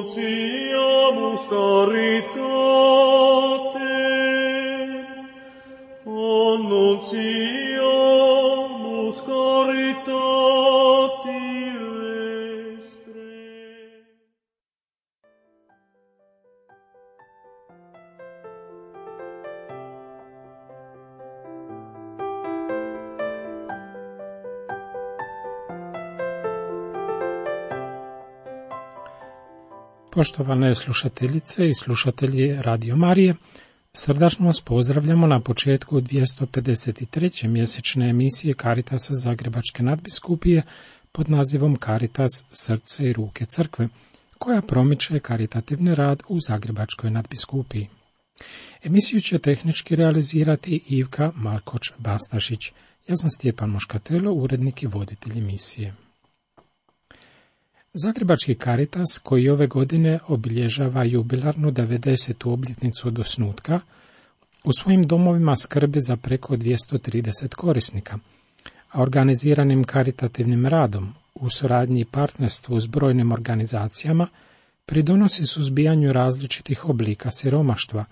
Annunciamus caritate, annunciamus caritati vestre. Poštovane slušateljice i slušatelji Radio Marije, srdačno vas pozdravljamo na početku 253. mjesečne emisije Caritasa Zagrebačke nadbiskupije pod nazivom Caritas srce i ruke crkve, koja promiče karitativni rad u Zagrebačkoj nadbiskupiji. Emisiju će tehnički realizirati Ivka Malkoč-Bastašić. Ja sam Stjepan Moškatelo, urednik i voditelj emisije. Zagrebački Caritas, koji ove godine obilježava jubilarnu 90. obljetnicu od osnutka, u svojim domovima skrbi za preko 230 korisnika, a organiziranim karitativnim radom u suradnji i partnerstvu s brojnim organizacijama pridonosi suzbijanju različitih oblika siromaštva,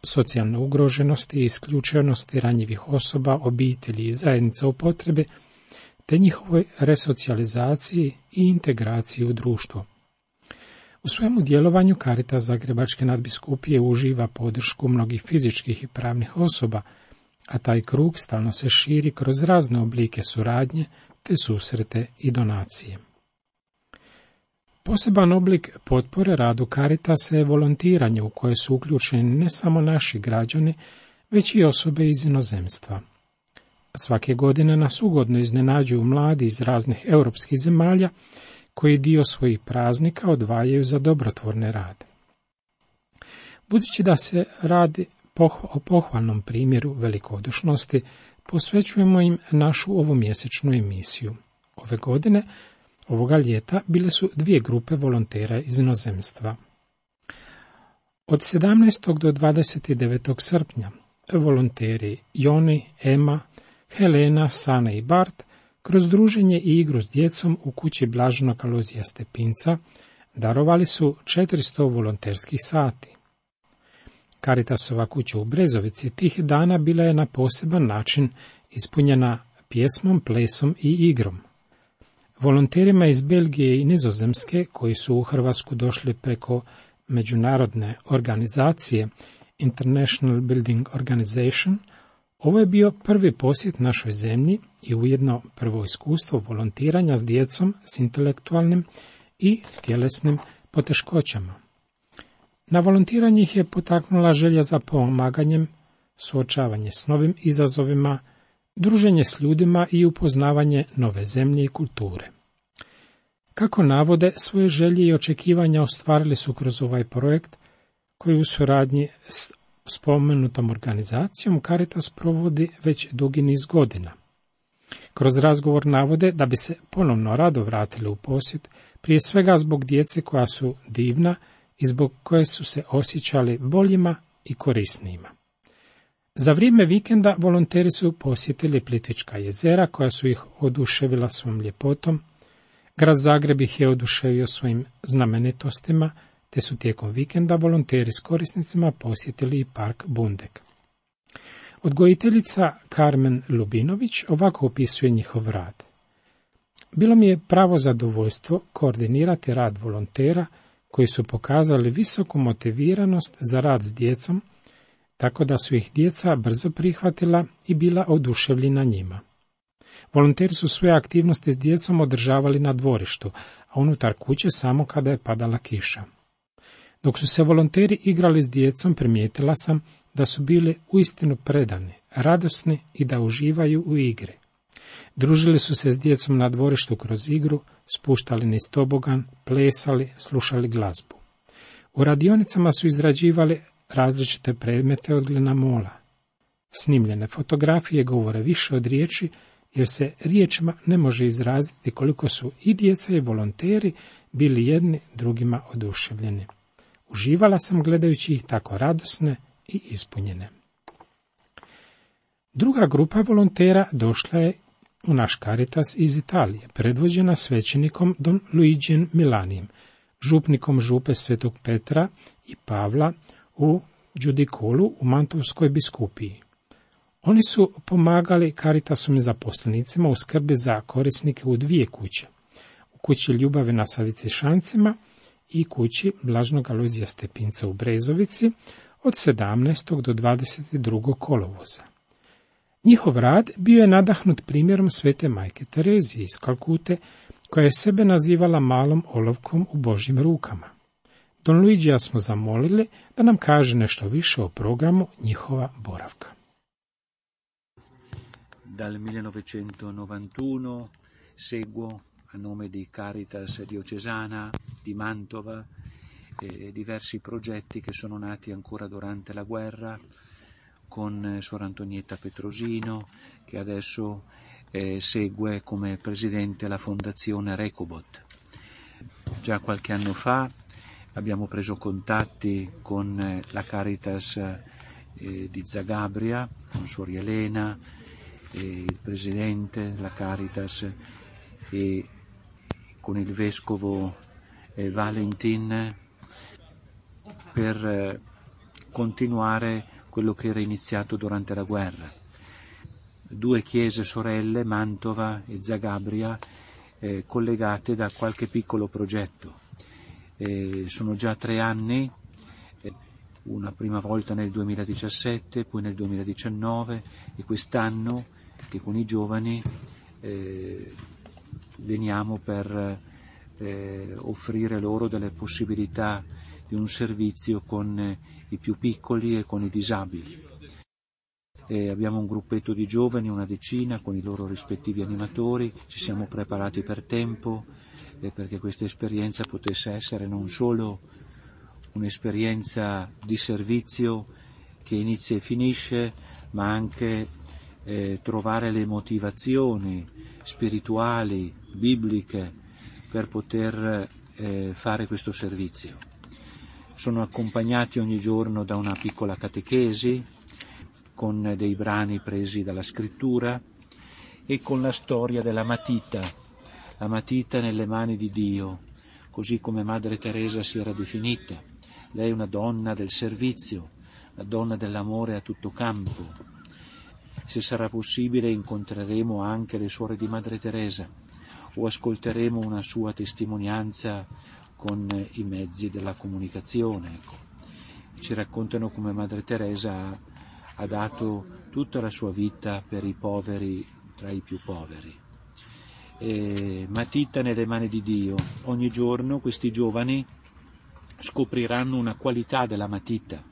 socijalne ugroženosti i isključenosti ranjivih osoba, obitelji i zajednica u potrebi, te njihovoj resocijalizaciji i integraciji u društvo. U svojemu djelovanju Caritas Zagrebačke nadbiskupije uživa podršku mnogih fizičkih i pravnih osoba, a taj krug stalno se širi kroz razne oblike suradnje, te susrete i donacije. Poseban oblik potpore radu Caritasa je volontiranje u koje su uključeni ne samo naši građani, već i osobe iz inozemstva. Svake godine nas ugodno iznenađuju mladi iz raznih europskih zemalja koji dio svojih praznika odvajaju za dobrotvorni rad. Budući da se radi o pohvalnom primjeru velikodušnosti, posvećujemo im našu ovomjesečnu emisiju. Ove godine, ovoga ljeta, bile su dvije grupe volontera iz inozemstva. Od 17. do 29. srpnja volonteri Joni, Ema, Helena, Sana i Bart kroz druženje i igru s djecom u kući Blaženog Alojzija Stepinca darovali su 400 volonterskih sati. Caritasova kuća u Brezovici tih dana bila je na poseban način ispunjena pjesmom, plesom i igrom. Volonterima iz Belgije i Nizozemske, koji su u Hrvatsku došli preko međunarodne organizacije International Building Organization, ovo je bio prvi posjet našoj zemlji i ujedno prvo iskustvo volontiranja s djecom s intelektualnim i tjelesnim poteškoćama. Na volontiranje ih je potaknula želja za pomaganjem, suočavanje s novim izazovima, druženje s ljudima i upoznavanje nove zemlje i kulture. Kako navode, svoje želje i očekivanja ostvarili su kroz ovaj projekt koji u suradnji s spomenutom organizacijom Caritas provodi već dugi niz godina. Kroz razgovor navode da bi se ponovno rado vratili u posjet, prije svega zbog djece koja su divna i zbog koje su se osjećali boljima i korisnijima. Za vrijeme vikenda volonteri su posjetili Plitvička jezera koja su ih oduševila svom ljepotom, grad Zagreb ih je oduševio svojim znamenitostima, te su tijekom vikenda volonteri s korisnicima posjetili i park Bundek. Odgojiteljica Karmen Lubinović ovako opisuje njihov rad. Bilo mi je pravo zadovoljstvo koordinirati rad volontera koji su pokazali visoku motiviranost za rad s djecom, tako da su ih djeca brzo prihvatila i bila oduševljena njima. Volonteri su svoje aktivnosti s djecom održavali na dvorištu, a unutar kuće samo kada je padala kiša. Dok su se volonteri igrali s djecom, primijetila sam da su bili uistinu predani, radosni i da uživaju u igri. Družili su se s djecom na dvorištu kroz igru, spuštali niz tobogan, plesali, slušali glazbu. U radionicama su izrađivali različite predmete od glinamola. Snimljene fotografije govore više od riječi, jer se riječima ne može izraziti koliko su i djeca i volonteri bili jedni drugima oduševljeni. Uživala sam gledajući ih tako radosne i ispunjene. Druga grupa volontera došla je u naš Caritas iz Italije, predvođena svećenikom Don Luigijem Milanijem, župnikom župe Svetog Petra i Pavla u Đudikolu u Mantovskoj biskupiji. Oni su pomagali Caritasovim zaposlenicima u skrbi za korisnike u 2 kuće, u kući Ljubave na Savicišancima i kući Blažnog Alojzija Stepinca u Brezovici od 17. do 22. kolovoza. Njihov rad bio je nadahnut primjerom svete majke Terezije iz Kalkute, koja je sebe nazivala malom olovkom u Božjim rukama. Don Luigija smo zamolili da nam kaže nešto više o programu njihova boravka. Dal 1991 seguo a nome di Caritas Diocesana di Mantova diversi progetti che sono nati ancora durante la guerra con Suor Antonietta Petrosino, che adesso segue come presidente la fondazione Recobot. Già qualche anno fa abbiamo preso contatti con la Caritas di Zagabria, con Suor Elena, il presidente della Caritas, e con il vescovo Valentin per continuare quello che era iniziato durante la guerra. 2 chiese sorelle, Mantova e Zagabria, collegate da qualche piccolo progetto. Sono già 3 anni, una prima volta nel 2017, poi nel 2019 e quest'anno che con i giovani veniamo per offrire loro delle possibilità di un servizio con i più piccoli e con i disabili. Abbiamo un gruppetto di giovani, una decina, con i loro rispettivi animatori. Ci siamo preparati per tempo perché questa esperienza potesse essere non solo un'esperienza di servizio che inizia e finisce, ma anche trovare le motivazioni spirituali, bibliche, per poter fare questo servizio. Sono accompagnati ogni giorno da una piccola catechesi, con dei brani presi dalla scrittura e con la storia della matita, la matita nelle mani di Dio, così come Madre Teresa si era definita. Lei è una donna del servizio, una donna dell'amore a tutto campo. Se sarà possibile incontreremo anche le suore di Madre Teresa o ascolteremo una sua testimonianza con i mezzi della comunicazione. Ecco. Ci raccontano come Madre Teresa ha dato tutta la sua vita per i poveri tra i più poveri. Matita nelle mani di Dio. Ogni giorno questi giovani scopriranno una qualità della matita.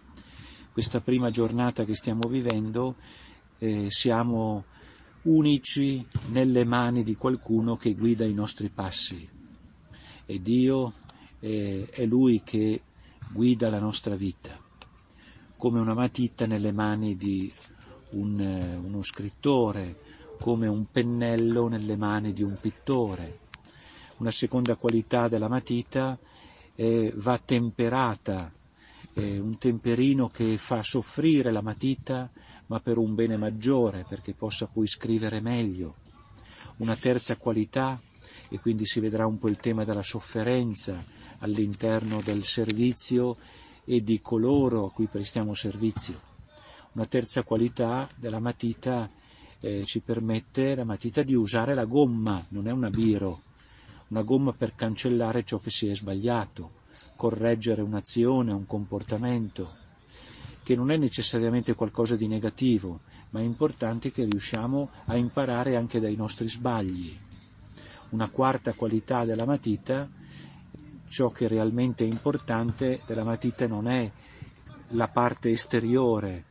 Questa prima giornata che stiamo vivendo siamo unici nelle mani di qualcuno che guida i nostri passi. E Dio è Lui che guida la nostra vita, come una matita nelle mani di uno scrittore, come un pennello nelle mani di un pittore. Una seconda qualità della matita va temperata, un temperino che fa soffrire la matita, ma per un bene maggiore, perché possa poi scrivere meglio. Una terza qualità, e quindi si vedrà un po' il tema della sofferenza all'interno del servizio e di coloro a cui prestiamo servizio. Una terza qualità della matita ci permette la matita di usare la gomma, non è una biro, una gomma per cancellare ciò che si è sbagliato, correggere un'azione, un comportamento, che non è necessariamente qualcosa di negativo, ma è importante che riusciamo a imparare anche dai nostri sbagli. Una quarta qualità della matita, ciò che realmente è importante della matita non è la parte esteriore,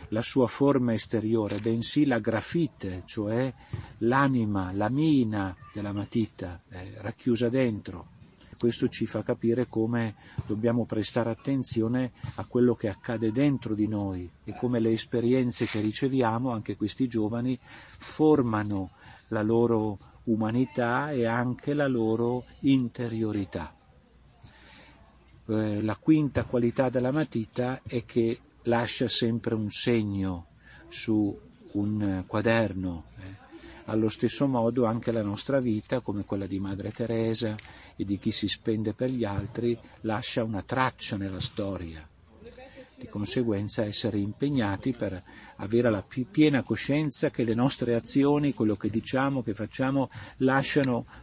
la sua forma esteriore, bensì la grafite, cioè l'anima, la mina della matita, racchiusa dentro. Questo ci fa capire come dobbiamo prestare attenzione a quello che accade dentro di noi e come le esperienze che riceviamo, anche questi giovani, formano la loro umanità e anche la loro interiorità. La quinta qualità della matita è che lascia sempre un segno su un quaderno, Allo stesso modo anche la nostra vita, come quella di Madre Teresa e di chi si spende per gli altri, lascia una traccia nella storia. Di conseguenza essere impegnati per avere la piena coscienza che le nostre azioni, quello che diciamo, che facciamo,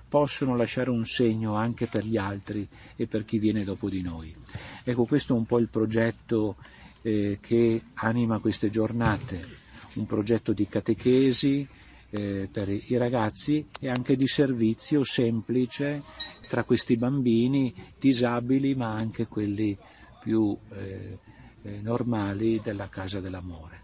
possono lasciare un segno anche per gli altri e per chi viene dopo di noi. Ecco, questo è un po' il progetto che anima queste giornate, un progetto di catechesi per i ragazzi e anche di servizio semplice tra questi bambini disabili ma anche quelli più normali della Casa dell'Amore.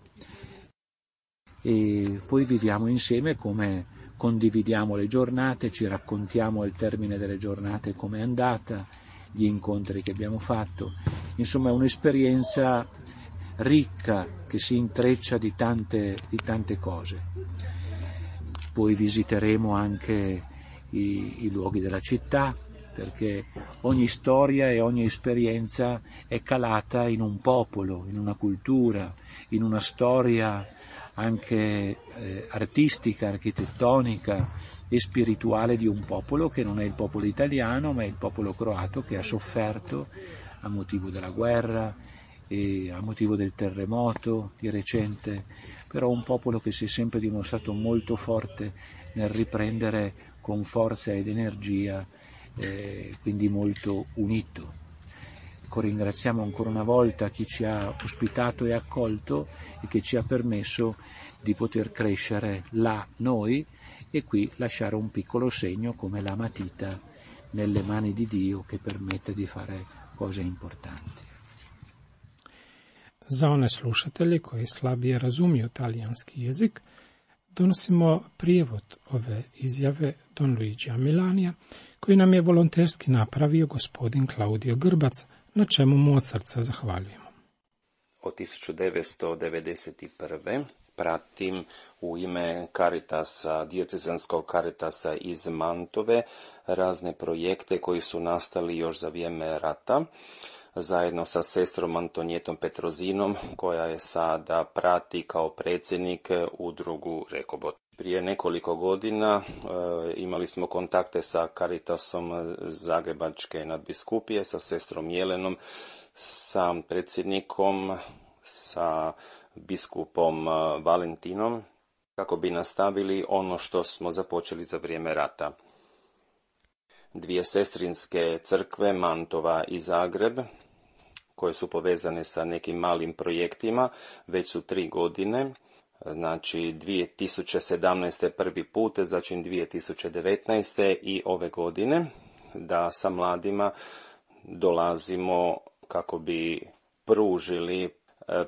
E poi viviamo insieme come condividiamo le giornate, ci raccontiamo al termine delle giornate com'è andata, gli incontri che abbiamo fatto. Insomma, è un'esperienza ricca che si intreccia di tante cose. Poi visiteremo anche i luoghi della città, perché ogni storia e ogni esperienza è calata in un popolo, in una cultura, in una storia anche artistica, architettonica e spirituale di un popolo che non è il popolo italiano, ma è il popolo croato, che ha sofferto a motivo della guerra e a motivo del terremoto di recente, però un popolo che si è sempre dimostrato molto forte nel riprendere con forza ed energia, quindi molto unito. Ecco, ringraziamo ancora una volta chi ci ha ospitato e accolto e che ci ha permesso di poter crescere là noi e qui lasciare un piccolo segno come la matita nelle mani di Dio che permette di fare cose importanti. Za one slušatelje koji slabije razumiju talijanski jezik, donosimo prijevod ove izjave Don Luigija Milanija, koji nam je volonterski napravio gospodin Claudio Grbac, na čemu mu od srca zahvaljujemo. Od 1991. pratim u ime Caritasa, diocezanskog Caritasa iz Mantove, razne projekte koji su nastali još za vrijeme rata, zajedno sa sestrom Antonijetom Petrozinom, koja je sada prati kao predsjednik udrugu Rekobot. Prije nekoliko godina imali smo kontakte sa Caritasom Zagrebačke nadbiskupije, sa sestrom Jelenom, sa predsjednikom, sa biskupom Valentinom, kako bi nastavili ono što smo započeli za vrijeme rata. Dvije sestrinske crkve, Mantova i Zagreb, koje su povezane sa nekim malim projektima, već su 3 godine, znači 2017. prvi put, znači 2019. i ove godine, da sa mladima dolazimo kako bi pružili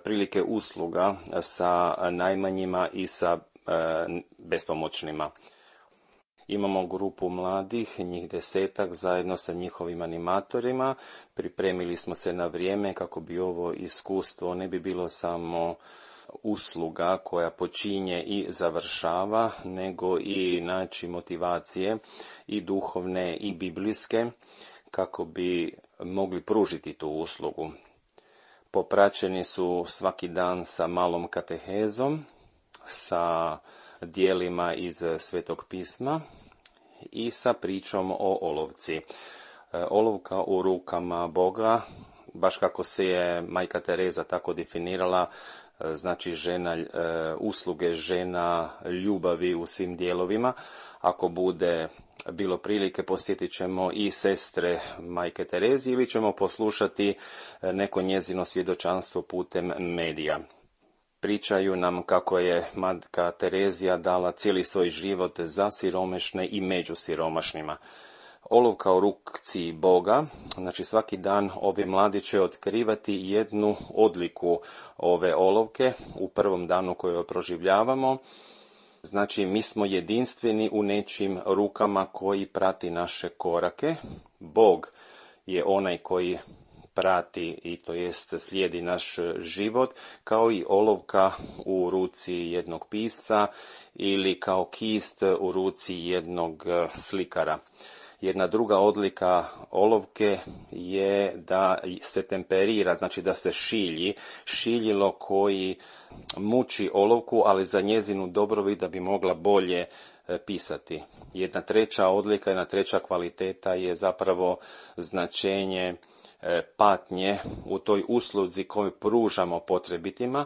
prilike usluga sa najmanjima i sa bespomoćnima. Imamo grupu mladih, njih 10 zajedno sa njihovim animatorima. Pripremili smo se na vrijeme kako bi ovo iskustvo ne bi bilo samo usluga koja počinje i završava, nego i način motivacije i duhovne i biblijske kako bi mogli pružiti tu uslugu. Popraćeni su svaki dan sa malom katehezom, sa dijelima iz Svetog pisma i sa pričom o olovci. Olovka u rukama Boga, baš kako se je Majka Tereza tako definirala, znači žena, usluge žena, ljubavi u svim dijelovima. Ako bude bilo prilike, posjetit ćemo i sestre Majke Terezi ili ćemo poslušati neko njezino svjedočanstvo putem medija. Pričaju nam kako je Majka Terezija dala cijeli svoj život za siromašne i među siromašnima. Olovka u ruci Boga, znači svaki dan ove mladi će otkrivati jednu odliku ove olovke u prvom danu koju proživljavamo. Znači, mi smo jedinstveni u nečim rukama koji prati naše korake. Bog je onaj koji prati i to jest slijedi naš život, kao i olovka u ruci jednog pisca ili kao kist u ruci jednog slikara. Jedna druga odlika olovke je da se temperira, znači da se šilji, šiljilo koji muči olovku, ali za njezinu dobrobit da bi mogla bolje pisati. Jedna treća odlika, jedna treća kvaliteta je zapravo značenje patnje u toj usluzi koju pružamo potrebitima.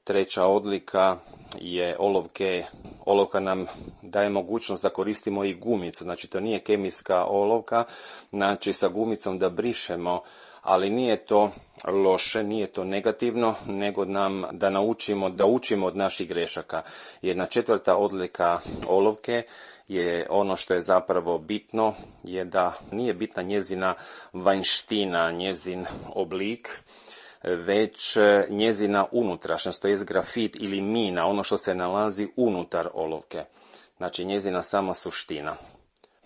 Treća odlika je olovke. Olovka nam daje mogućnost da koristimo i gumicu, znači to nije kemijska olovka, znači sa gumicom da brišemo, ali nije to loše, nije to negativno, nego nam da učimo od naših grešaka. Jedna četvrta odlika olovke je ono što je zapravo bitno, je da nije bitna njezina vanjština, njezin oblik, već njezina unutrašnjost, to je grafit ili mina, ono što se nalazi unutar olovke. Znači njezina sama suština.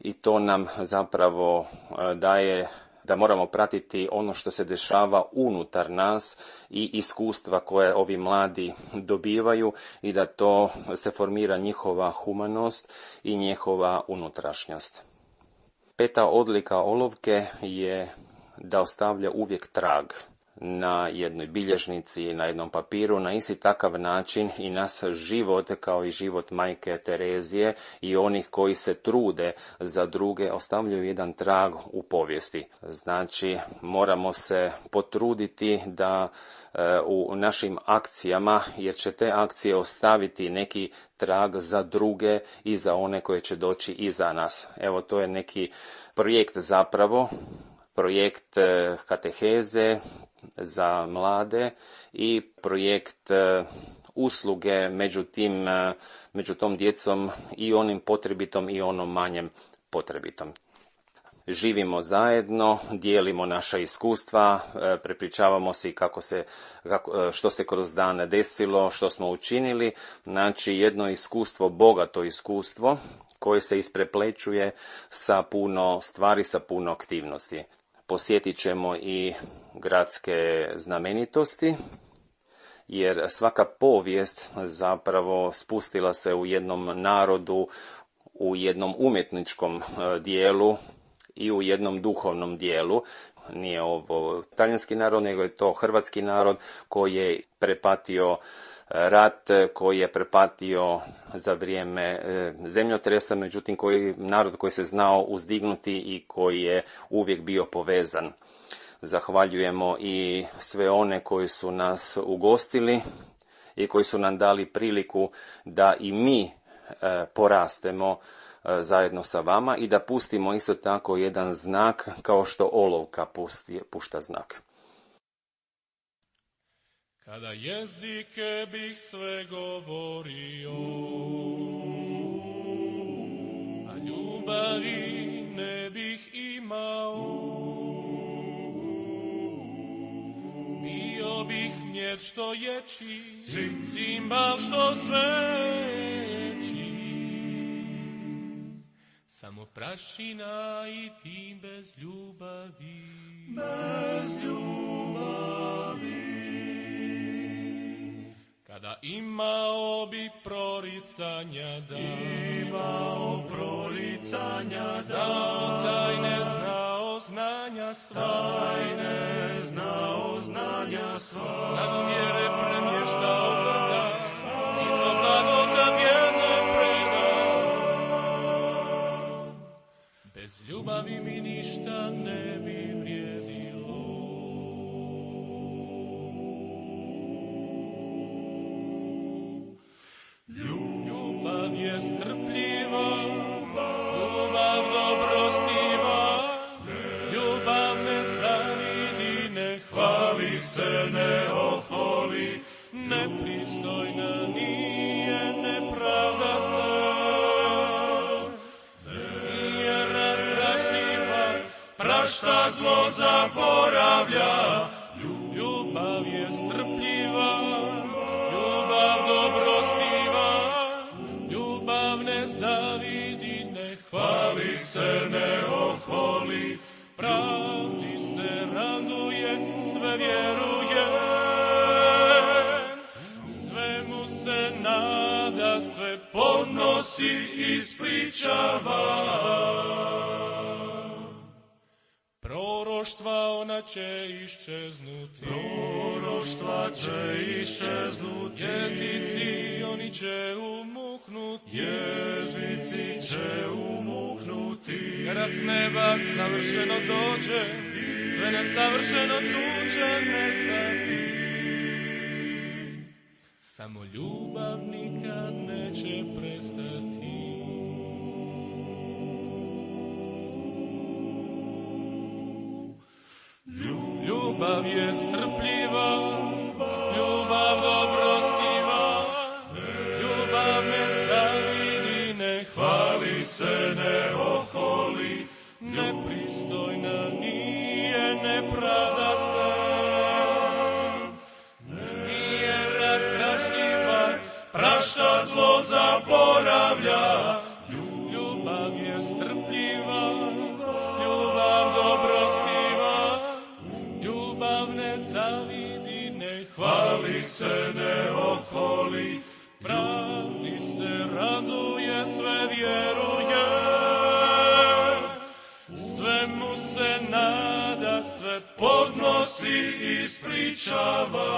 I to nam zapravo daje da moramo pratiti ono što se dešava unutar nas i iskustva koje ovi mladi dobivaju i da to se formira njihova humanost i njihova unutrašnjost. Peta odlika olovke je da ostavlja uvijek trag na jednoj bilježnici, na jednom papiru, na isti takav način i nas život, kao i život majke Terezije i onih koji se trude za druge, ostavljaju jedan trag u povijesti. Znači, moramo se potruditi da u našim akcijama, jer će te akcije ostaviti neki trag za druge i za one koje će doći iza nas. Evo, to je neki projekt zapravo, projekt kateheze za mlade i projekt usluge među tom djecom i onim potrebitom i onom manjem potrebitom. Živimo zajedno, dijelimo naša iskustva, prepričavamo si što se kroz dane desilo, što smo učinili. Znači jedno iskustvo, bogato iskustvo koje se ispreplećuje sa puno stvari, sa puno aktivnosti. Posjetit ćemo i gradske znamenitosti, jer svaka povijest zapravo spustila se u jednom narodu, u jednom umjetničkom dijelu i u jednom duhovnom dijelu. Nije ovo talijanski narod, nego je to hrvatski narod koji je prepatio rat, koji je prepatio za vrijeme zemljotresa, međutim narod koji se znao uzdignuti i koji je uvijek bio povezan. Zahvaljujemo i sve one koji su nas ugostili i koji su nam dali priliku da i mi porastemo zajedno sa vama i da pustimo isto tako jedan znak kao što olovka pušta znak. Kada jezike bih sve govorio, a ljubavi ne bih imao, bio bih mjed što ječi, cimbal što sveći, samo prašina i ti bez ljubavi, bez ljubavi. Kada imao bi proricanja znao tajne, znao znanja sva, snagu vjere premještao vrda i svo blago za vjerne predao. Bez ljubavi mi ništa ne bi vrijedilo. Ljubav je strpljiva, ljubav dobrostiva, ljubav ne zavidi, ne hvali se, ne oholi, nepristojna nije, ne pravda se, nije razdražljiva, prašta zlo zaboravlja. Ljubav je strpljiva, ljubav dobrostiva, ljubav ne zavidi, ne hvali se, ne oholi, pravdi se raduje, sve vjeruje, svemu se nada, sve podnosi, ispričava. Proroštva ona će iščeznuti, jezici oni će umuknuti, umuknuti, jezici će umuknuti, kada s neba savršeno dođe, sve nesavršeno tu će nestati. Samo ljubav nikad neće prestati. Ljubav je strpljiva, ljubav dobrostiva, ljubav ne zavidi, ne hvali se, ne oholi, nepristojna nije, ne pravda se, nije razdražljiva, prašta zlo zaboravlja. Ljubav je strpljiva, ljubav dobrostiva, ljubav ne zavidi, ne hvali se, ne oholi, pravdi se raduje, sve vjeruje, svemu se nada, sve podnosi i ispričava.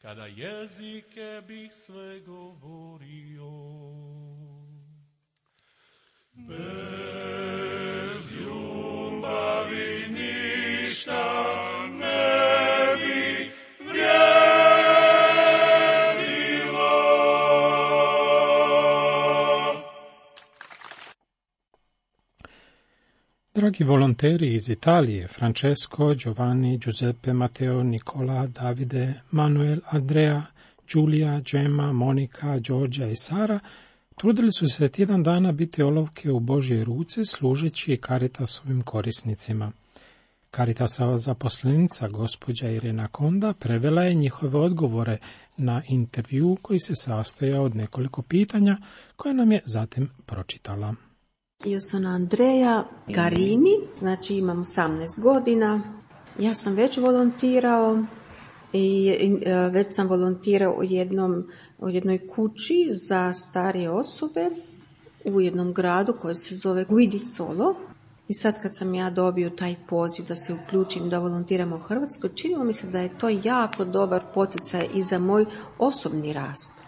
Kada jezike bih sve govorio, bez ljubavi ništa ne bi vrijedilo. Dragi volonteri iz Italije, Francesco, Giovanni, Giuseppe, Matteo, Nicola, Davide, Manuel, Andrea, Giulia, Gemma, Monika, Đorđa i Sara trudili su se tjedan dana biti olovke u Božje ruce služeći Caritasovim korisnicima. Caritasova zaposlenica, gospođa Irena Konda, prevela je njihove odgovore na intervju koji se sastojao od nekoliko pitanja koje nam je zatim pročitala. Io sono Andrea Garini, znači imam 18 godina. Ja sam već volontirao i već sam volontirao u jednoj kući za starije osobe u jednom gradu koji se zove Guidicolo. I sad kad sam ja dobio taj poziv da se uključim, da volontiram u Hrvatskoj, činilo mi se da je to jako dobar poticaj i za moj osobni rast.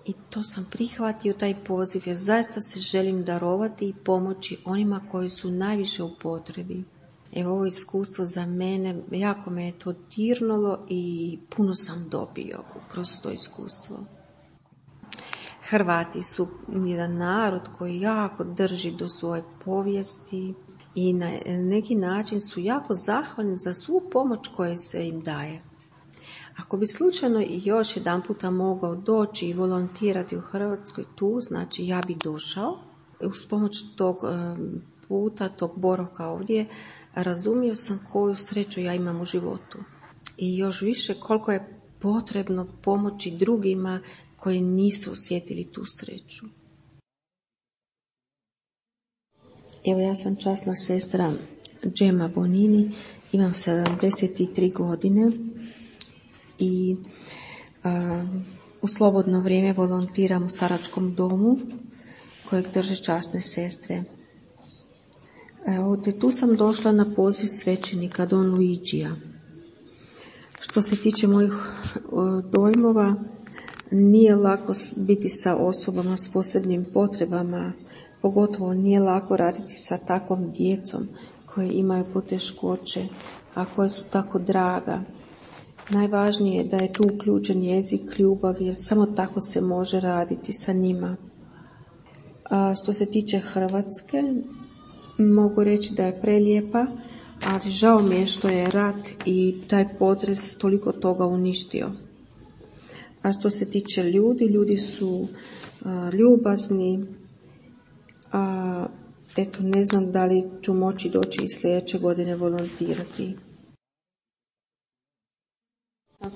I to sam prihvatio taj poziv jer zaista se želim darovati i pomoći onima koji su najviše u potrebi. Evo, ovo iskustvo za mene, jako me je to dirnulo i puno sam dobio kroz to iskustvo. Hrvati su jedan narod koji jako drži do svoje povijesti i na neki način su jako zahvalni za svu pomoć koja se im daje. Ako bi slučajno i još jedan puta mogao doći i volontirati u Hrvatskoj tu, znači ja bi došao. Uz pomoć tog puta, tog boravka ovdje, razumio sam koju sreću ja imam u životu. I još više koliko je potrebno pomoći drugima koji nisu osjetili tu sreću. Evo, ja sam časna sestra Gemma Bonini, imam 73 godine i u slobodno vrijeme volontiram u staračkom domu kojeg drže časne sestre. Tu sam došla na poziv svećenika Don Luigija. Što se tiče mojih dojmova, nije lako biti sa osobama s posebnim potrebama, pogotovo nije lako raditi sa takvom djecom koje imaju poteškoće, a koje su tako draga. Najvažnije je da je tu uključen jezik ljubavi, jer samo tako se može raditi sa njima. A što se tiče Hrvatske, mogu reći da je prelijepa, ali žao mi je što je rat i taj potres toliko toga uništio. A što se tiče ljudi su ljubazni, a eto, ne znam da li ću moći doći i sljedeće godine volontirati.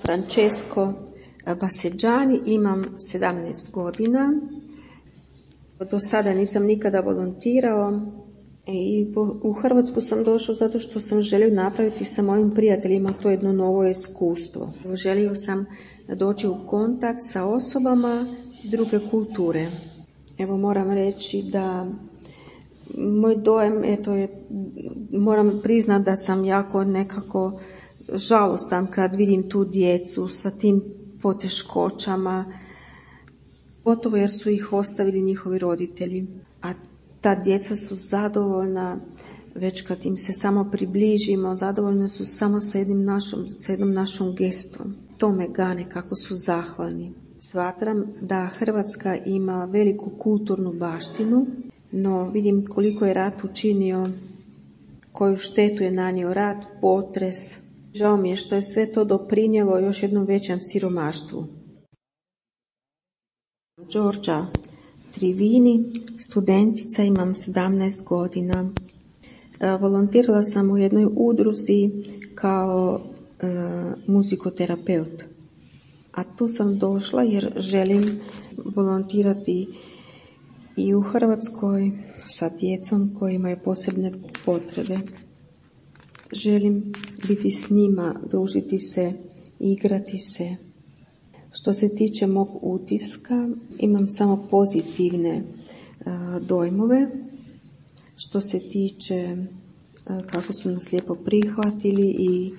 Francesco Baseggiani, imam 17 godina. Do sada nisam nikada volontirao i u Hrvatsku sam došao zato što sam želio napraviti sa mojim prijateljima to jedno novo iskustvo. Želio sam doći u kontakt sa osobama druge kulture. Evo, moram reći da moj dojem, moram priznati da sam jako nekako žalostan kad vidim tu djecu sa tim poteškoćama, Gotovo jer su ih ostavili njihovi roditelji, a ta djeca su zadovoljna već kad im se samo približimo, zadovoljne su samo sa jednom našom gestom. To me gane kako su zahvalni. Smatram da Hrvatska ima veliku kulturnu baštinu, no vidim koliko je rat učinio, koju štetu je nanio rat, potres. Žao mi je što je sve to doprinijelo još jednom većem siromaštvu. Đorđa Trivini, studentica, imam 17 godina. Volontirala sam u jednoj udruzi kao muzikoterapeut. A tu sam došla jer želim volontirati i u Hrvatskoj sa djecom koji imaju posebne potrebe. Želim biti s njima, družiti se, igrati se. Što se tiče mog utiska, imam samo pozitivne dojmove. Što se tiče kako su nas lijepo prihvatili i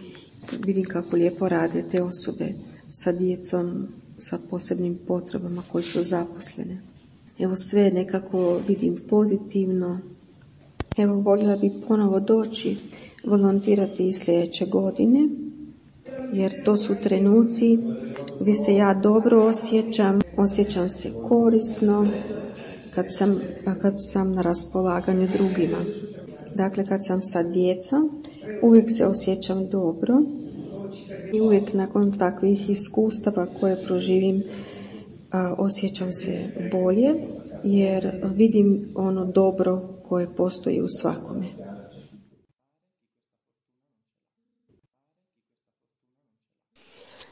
vidim kako lijepo rade te osobe sa djecom sa posebnim potrebama koji su zaposlene. Evo sve nekako vidim pozitivno. Evo voljela bi ponovo doći volontirati i sljedeće godine, jer to su trenuci gdje se ja dobro osjećam se korisno kad sam na raspolaganju drugima. Dakle, kad sam sa djecom, uvijek se osjećam dobro i uvijek nakon takvih iskustava koje proživim osjećam se bolje, jer vidim ono dobro koje postoji u svakome.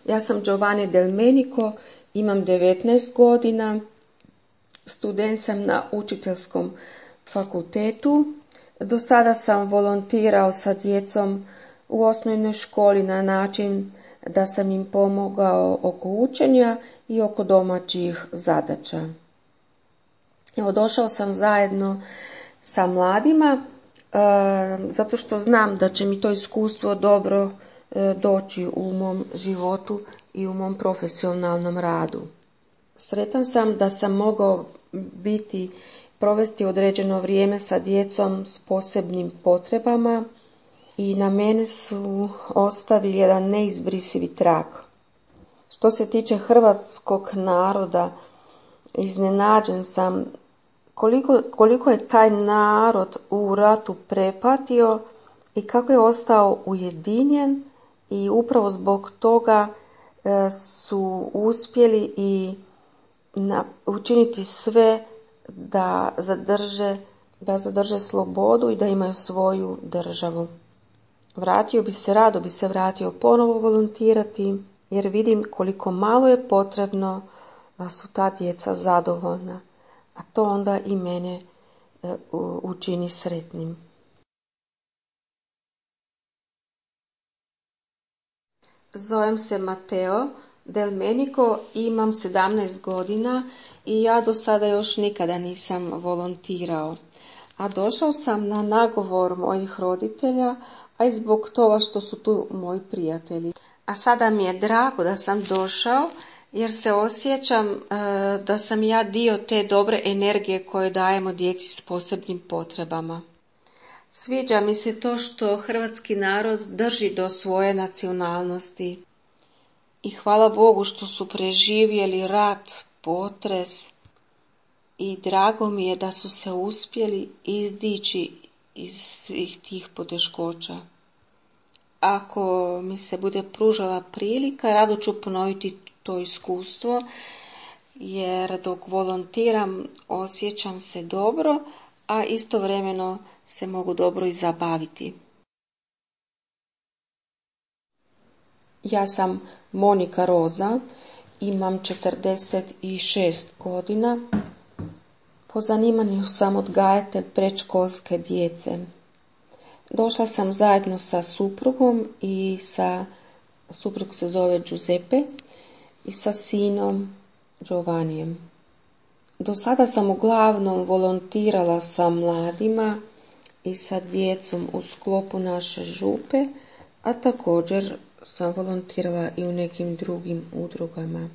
Ja sam Giovanni Del Menico, imam 19 godina, student sam na učiteljskom fakultetu. Do sada sam volontirao sa djecom u osnovnoj školi na način da sam im pomogao oko učenja i oko domaćih zadaća. Evo, došao sam zajedno sa mladima zato što znam da će mi to iskustvo dobro doći u mom životu i u mom profesionalnom radu. Sretan sam da sam mogao provesti određeno vrijeme sa djecom s posebnim potrebama i na mene su ostavili jedan neizbrisivi trag. Što se tiče hrvatskog naroda, iznenađen sam koliko je taj narod u ratu prepatio i kako je ostao ujedinjen i upravo zbog toga su uspjeli i učiniti sve da zadrže slobodu i da imaju svoju državu. Rado bi se vratio ponovo volontirati, jer vidim koliko malo je potrebno da su ta djeca zadovoljna, a to onda i mene učini sretnim. Zovem se Mateo Del Menico, imam 17 godina i ja do sada još nikada nisam volontirao. A došao sam na nagovor mojih roditelja, a i zbog toga što su tu moji prijatelji. A sada mi je drago da sam došao, jer se osjećam da sam ja dio te dobre energije koje dajemo djeci s posebnim potrebama. Sviđa mi se to što hrvatski narod drži do svoje nacionalnosti. I hvala Bogu što su preživjeli rat, potres i drago mi je da su se uspjeli izdići iz svih tih poteškoća. Ako mi se bude pružala prilika, rado ću ponoviti to iskustvo, jer dok volontiram osjećam se dobro, a istovremeno se mogu dobro i zabaviti. Ja sam Monika Roza, imam 46 godina. Po zanimanju sam odgajatelj predškolske djece. Došla sam zajedno sa suprugom i suprug se zove Giuseppe i sa sinom Giovannijem. Do sada sam uglavnom volontirala sa mladima i sa djecom u sklopu naše župe, a također sam volontirala i u nekim drugim udrugama.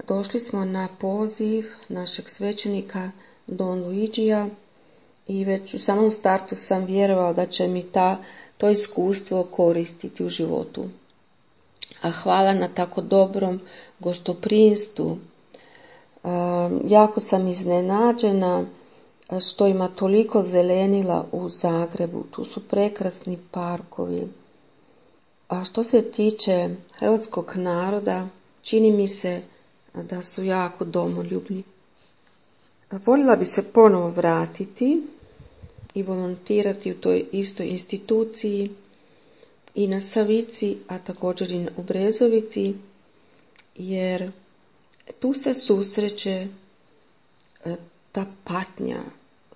došli smo na poziv našeg svećenika Don Luigija i već u samom startu sam vjerovala da će mi to iskustvo koristiti u životu. A hvala na tako dobrom gostoprimstvu. Jako sam iznenađena što ima toliko zelenila u Zagrebu. Tu su prekrasni parkovi. A što se tiče hrvatskog naroda, čini mi se da su jako domoljubni. Voljela bi se ponovo vratiti i volontirati u toj istoj instituciji i na Savici, a također i u Brezovici, jer tu se susreće ta patnja,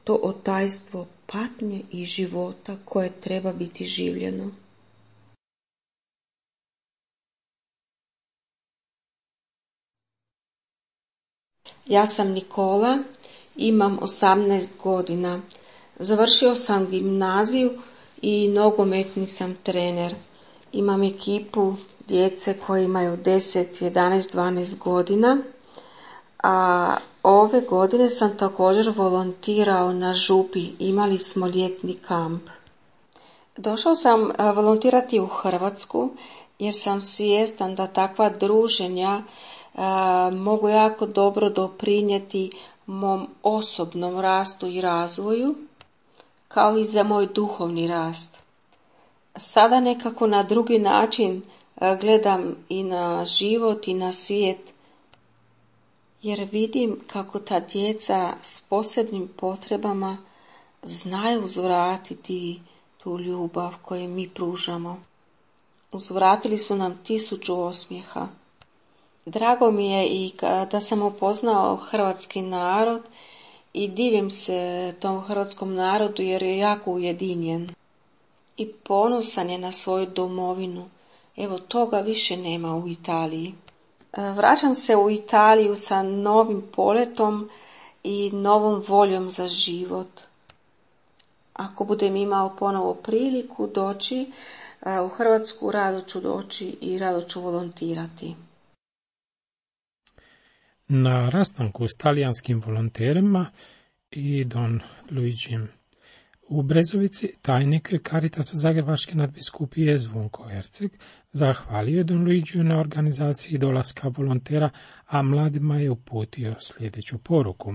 to otajstvo patnje i života koje treba biti življeno. Ja sam Nikola, imam 18 godina. Završio sam gimnaziju i nogometni sam trener. Imam ekipu djece koji imaju 10, 11, 12 godina. A ove godine sam također volontirao na Župi. Imali smo ljetni kamp. Došao sam volontirati u Hrvatsku jer sam svjestan da takva druženja mogu jako dobro doprinijeti mom osobnom rastu i razvoju, kao i za moj duhovni rast. Sada nekako na drugi način gledam i na život i na svijet, jer vidim kako ta djeca s posebnim potrebama znaju uzvratiti tu ljubav koju mi pružamo. Uzvratili su nam 1000 osmijeha. Drago mi je i da sam upoznao hrvatski narod i divim se tom hrvatskom narodu jer je jako ujedinjen i ponosan je na svoju domovinu. Evo, toga više nema u Italiji. Vraćam se u Italiju sa novim poletom i novom voljom za život. Ako budem imao ponovo priliku doći u Hrvatsku, rado ću doći i rado ću volontirati. Na rastanku s talijanskim volonterima i Don Luigijem u Brezovici tajnik Caritasa Zagrebačke nadbiskupije Zvonko Erceg zahvalio je Don Luigiju na organizaciji dolaska volontera, a mladima je uputio sljedeću poruku.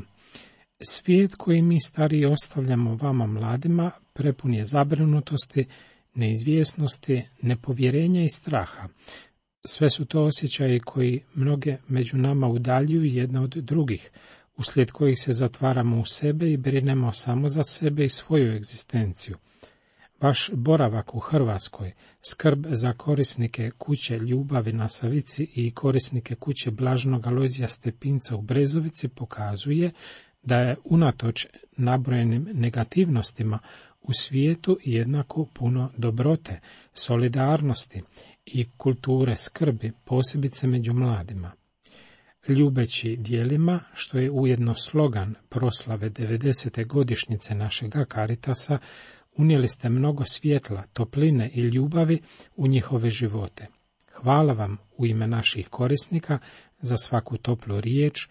Svijet koji mi stariji ostavljamo vama mladima prepun je zabrinutosti, neizvjesnosti, nepovjerenja i straha. Sve su to osjećaji koji mnoge među nama udaljuju jedne od drugih, uslijed kojih se zatvaramo u sebe i brinemo samo za sebe i svoju egzistenciju. Vaš boravak u Hrvatskoj, skrb za korisnike kuće ljubavi na Savici i korisnike kuće Blaženog Alojzija Stepinca u Brezovici pokazuje da je unatoč nabrojenim negativnostima u svijetu jednako puno dobrote, solidarnosti i kulture skrbi, posebice među mladima. Ljubeći djelima, što je ujedno slogan proslave 90. godišnjice našega Caritasa, unijeli ste mnogo svjetla, topline i ljubavi u njihove živote. Hvala vam u ime naših korisnika za svaku toplu riječ,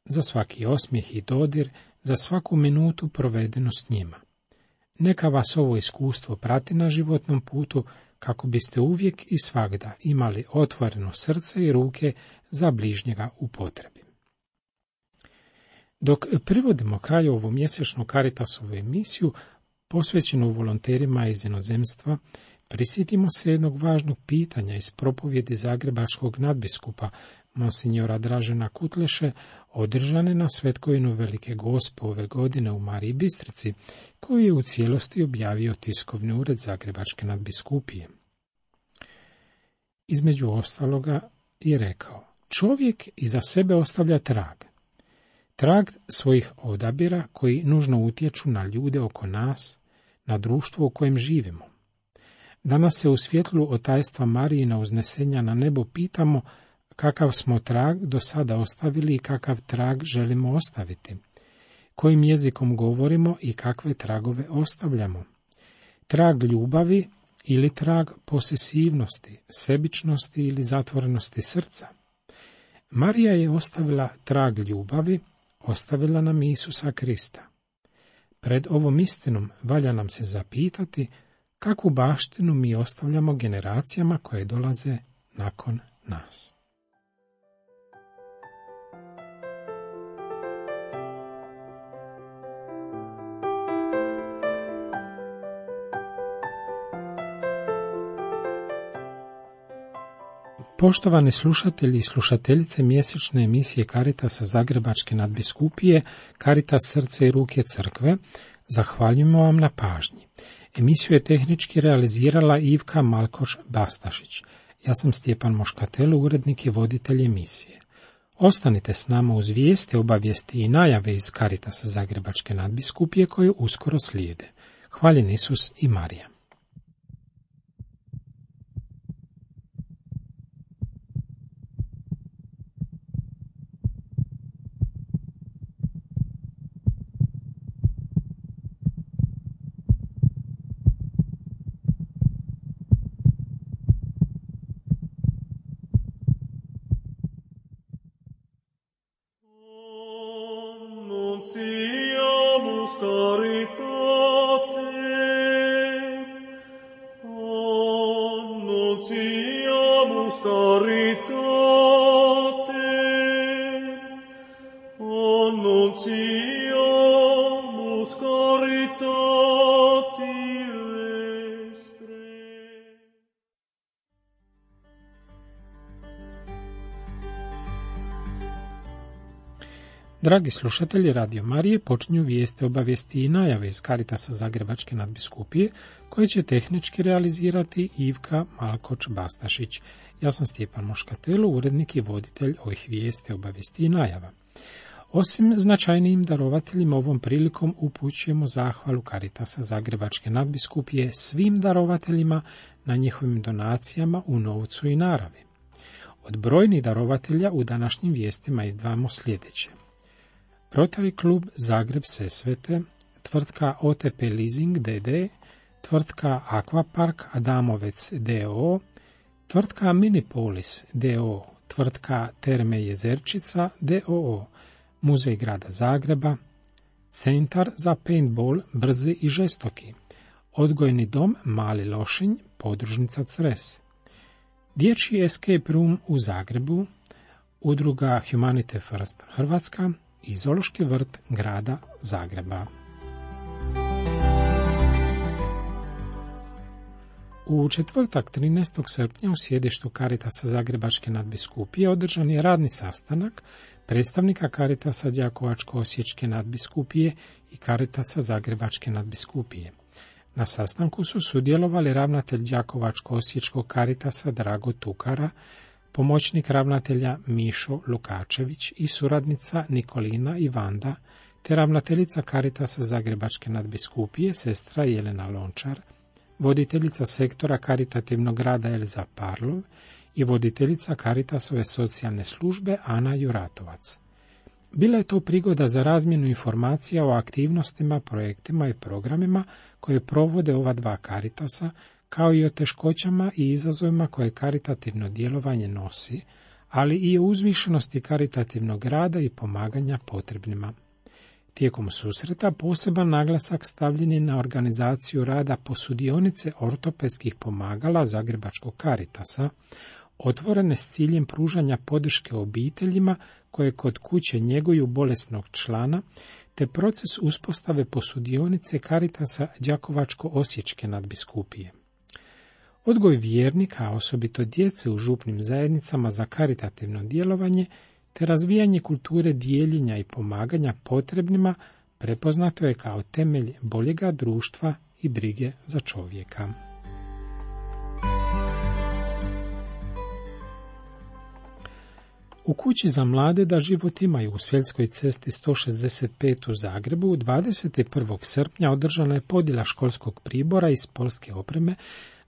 za svaki osmijeh i dodir, za svaku minutu provedenu s njima. Neka vas ovo iskustvo prati na životnom putu, kako biste uvijek i svagda imali otvoreno srce i ruke za bližnjega u potrebi. Dok privodimo kraju ovu mjesečnu Caritasovu emisiju, posvećenu volonterima iz inozemstva, prisjetimo se jednog važnog pitanja iz propovjedi zagrebačkog nadbiskupa monsignora Dražena Kutleše, održane na Svetkovinu Velike Gospe ove godine u Mariji Bistrici, koju je u cijelosti objavio tiskovni ured Zagrebačke nadbiskupije. Između ostaloga je rekao: čovjek iza sebe ostavlja trag svojih odabira koji nužno utječu na ljude oko nas, na društvo u kojem živimo. Danas se u svjetlu otajstva Marijina uznesenja na nebo pitamo kakav smo trag do sada ostavili i kakav trag želimo ostaviti, kojim jezikom govorimo i kakve tragove ostavljamo. Trag ljubavi ili trag posesivnosti, sebičnosti ili zatvorenosti srca. Marija je ostavila trag ljubavi, ostavila nam Isusa Krista. Pred ovom istinom valja nam se zapitati kakvu baštinu mi ostavljamo generacijama koje dolaze nakon nas. Poštovani slušatelji i slušateljice mjesečne emisije Caritasa Zagrebačke nadbiskupije, Caritas srce i ruke crkve, zahvaljujemo vam na pažnji. Emisiju je tehnički realizirala Ivka Malkoš-Bastašić. Ja sam Stjepan Moškatelo, urednik i voditelj emisije. Ostanite s nama uz vijesti, obavijesti i najave iz Caritasa Zagrebačke nadbiskupije koje uskoro slijede. Hvaljen Isus i Marija. Annunciamus caritate, annunciamus caritate, annunciamus caritati vestre. Dragi slušatelji Radio Marije, počinju vijesti, obavijesti i najave iz Caritasa Zagrebačke nadbiskupije, koje će tehnički realizirati Ivka Malkoč-Bastašić. Ja sam Stjepan Moškatelo, urednik i voditelj ovih vijesti, obavijesti i najava. Osim značajnijim darovateljima, ovom prilikom upućujemo zahvalu Caritasa Zagrebačke nadbiskupije svim darovateljima na njihovim donacijama u novcu i naravi. Od brojnih darovatelja u današnjim vijestima izdvajamo sljedeće: Rotary klub Zagreb Sesvete, tvrtka OTP Leasing d.d., tvrtka Aquapark Adamovec d.o.o., tvrtka Minipolis d.o.o., tvrtka Terme Jezerčica d.o.o., Muzej grada Zagreba, Centar za paintball Brzi i žestoki, Odgojni dom Mali Lošinj, podružnica Cres, Dječji escape room u Zagrebu, udruga Humanity First Hrvatska i Zoološki vrt grada Zagreba. U četvrtak 13. srpnja u sjedištu Caritasa Zagrebačke nadbiskupije održan je radni sastanak predstavnika Caritasa Đakovačko-osječke nadbiskupije i Caritasa Zagrebačke nadbiskupije. Na sastanku su sudjelovali ravnatelj Đakovačko-osječkog Caritasa Drago Tukara, pomoćnik ravnatelja Mišo Lukačević i suradnica Nikolina i Vanda, te ravnateljica Caritasa Zagrebačke nadbiskupije sestra Jelena Lončar, voditeljica sektora karitativnog rada Elza Parlov i voditeljica Caritasove socijalne službe Ana Juratovac. Bila je to prigoda za razmjenu informacija o aktivnostima, projektima i programima koje provode ova dva Caritasa, kao i o teškoćama i izazovima koje karitativno djelovanje nosi, ali i o uzvišenosti karitativnog rada i pomaganja potrebnima. Tijekom susreta poseban naglasak stavljen je na organizaciju rada posudionice ortopedskih pomagala Zagrebačkog Caritasa, otvorene s ciljem pružanja podrške obiteljima koje kod kuće njeguju bolesnog člana, te proces uspostave posudionice Caritasa Đakovačko-osječke nadbiskupije. Odgoj vjernika, a osobito djece u župnim zajednicama za karitativno djelovanje, te razvijanje kulture dijeljenja i pomaganja potrebnima prepoznato je kao temelj boljega društva i brige za čovjeka. U kući za mlade da život imaju u Seljskoj cesti 165 u Zagrebu 21. srpnja održana je podjela školskog pribora iz školske opreme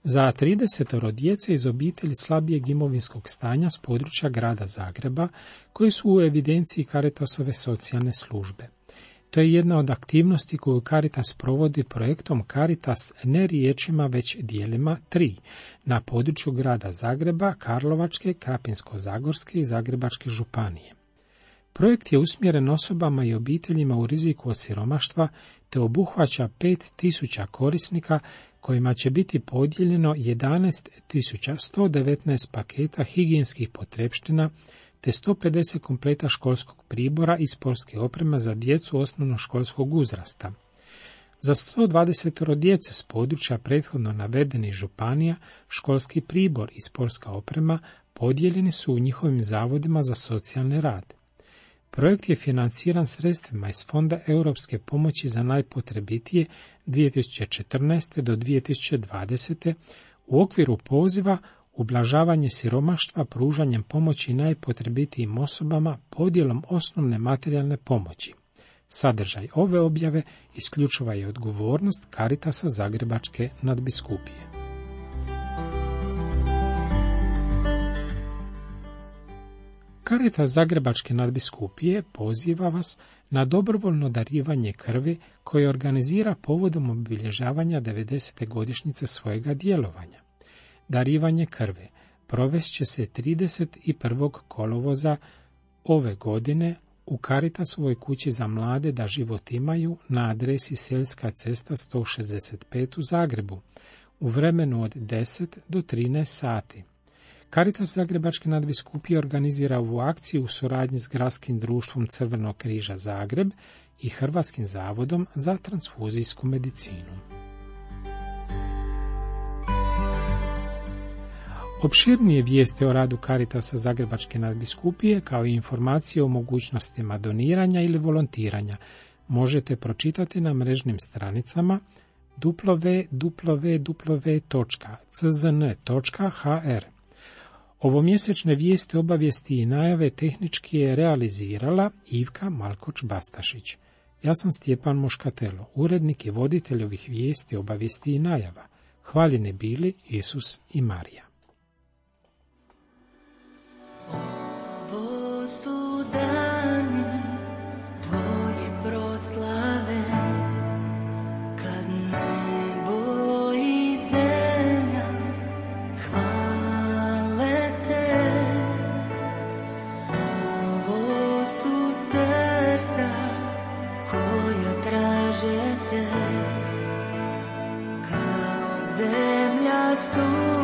za 30 djece iz obitelji slabijeg imovinskog stanja s područja grada Zagreba, koji su u evidenciji Caritasove socijalne službe. To je jedna od aktivnosti koju Caritas provodi projektom Caritas ne riječima već dijelima 3 na području grada Zagreba, Karlovačke, Krapinsko-zagorske i Zagrebačke županije. Projekt je usmjeren osobama i obiteljima u riziku od siromaštva te obuhvaća 5.000 korisnika kojima će biti podijeljeno 11.119 paketa higijenskih potrepština te 150 kompleta školskog pribora i sportske opreme za djecu osnovnoškolskog uzrasta. Za 120 djece s područja prethodno navedenih županija školski pribor i sportska oprema podijeljeni su u njihovim zavodima za socijalni rad. Projekt je financiran sredstvima iz Fonda europske pomoći za najpotrebitije 2014. do 2020. u okviru poziva ublažavanje siromaštva pružanjem pomoći najpotrebitijim osobama podjelom osnovne materijalne pomoći. Sadržaj ove objave isključiva je odgovornost Caritasa Zagrebačke nadbiskupije. Caritas Zagrebačke nadbiskupije poziva vas na dobrovoljno darivanje krvi koje organizira povodom obilježavanja 90. godišnjice svojega djelovanja. Darivanje krvi provest će se 31. kolovoza ove godine u Caritasovoj kući za mlade da život imaju na adresi Selska cesta 165 u Zagrebu u vremenu od 10 do 13 sati. Caritas Zagrebačke nadbiskupije organizira ovu akciju u suradnji s Gradskim društvom Crvenog križa Zagreb i Hrvatskim zavodom za transfuzijsku medicinu. Opširnije vijesti o radu Caritasa Zagrebačke nadbiskupije kao i informacije o mogućnostima doniranja ili volontiranja možete pročitati na mrežnim stranicama www.czn.hr. Ovomjesečne vijesti, obavijesti i najave tehnički je realizirala Ivka Malkoč-Bastašić. Ja sam Stjepan Moškatelo, urednik i voditelj ovih vijesti, obavijesti i najava. Hvaljeni bili Isus i Marija. Ovo su dani tvoje proslave, kad nebo i zemlja hvale te. Ovo su srca koja traže te, kao zemlja su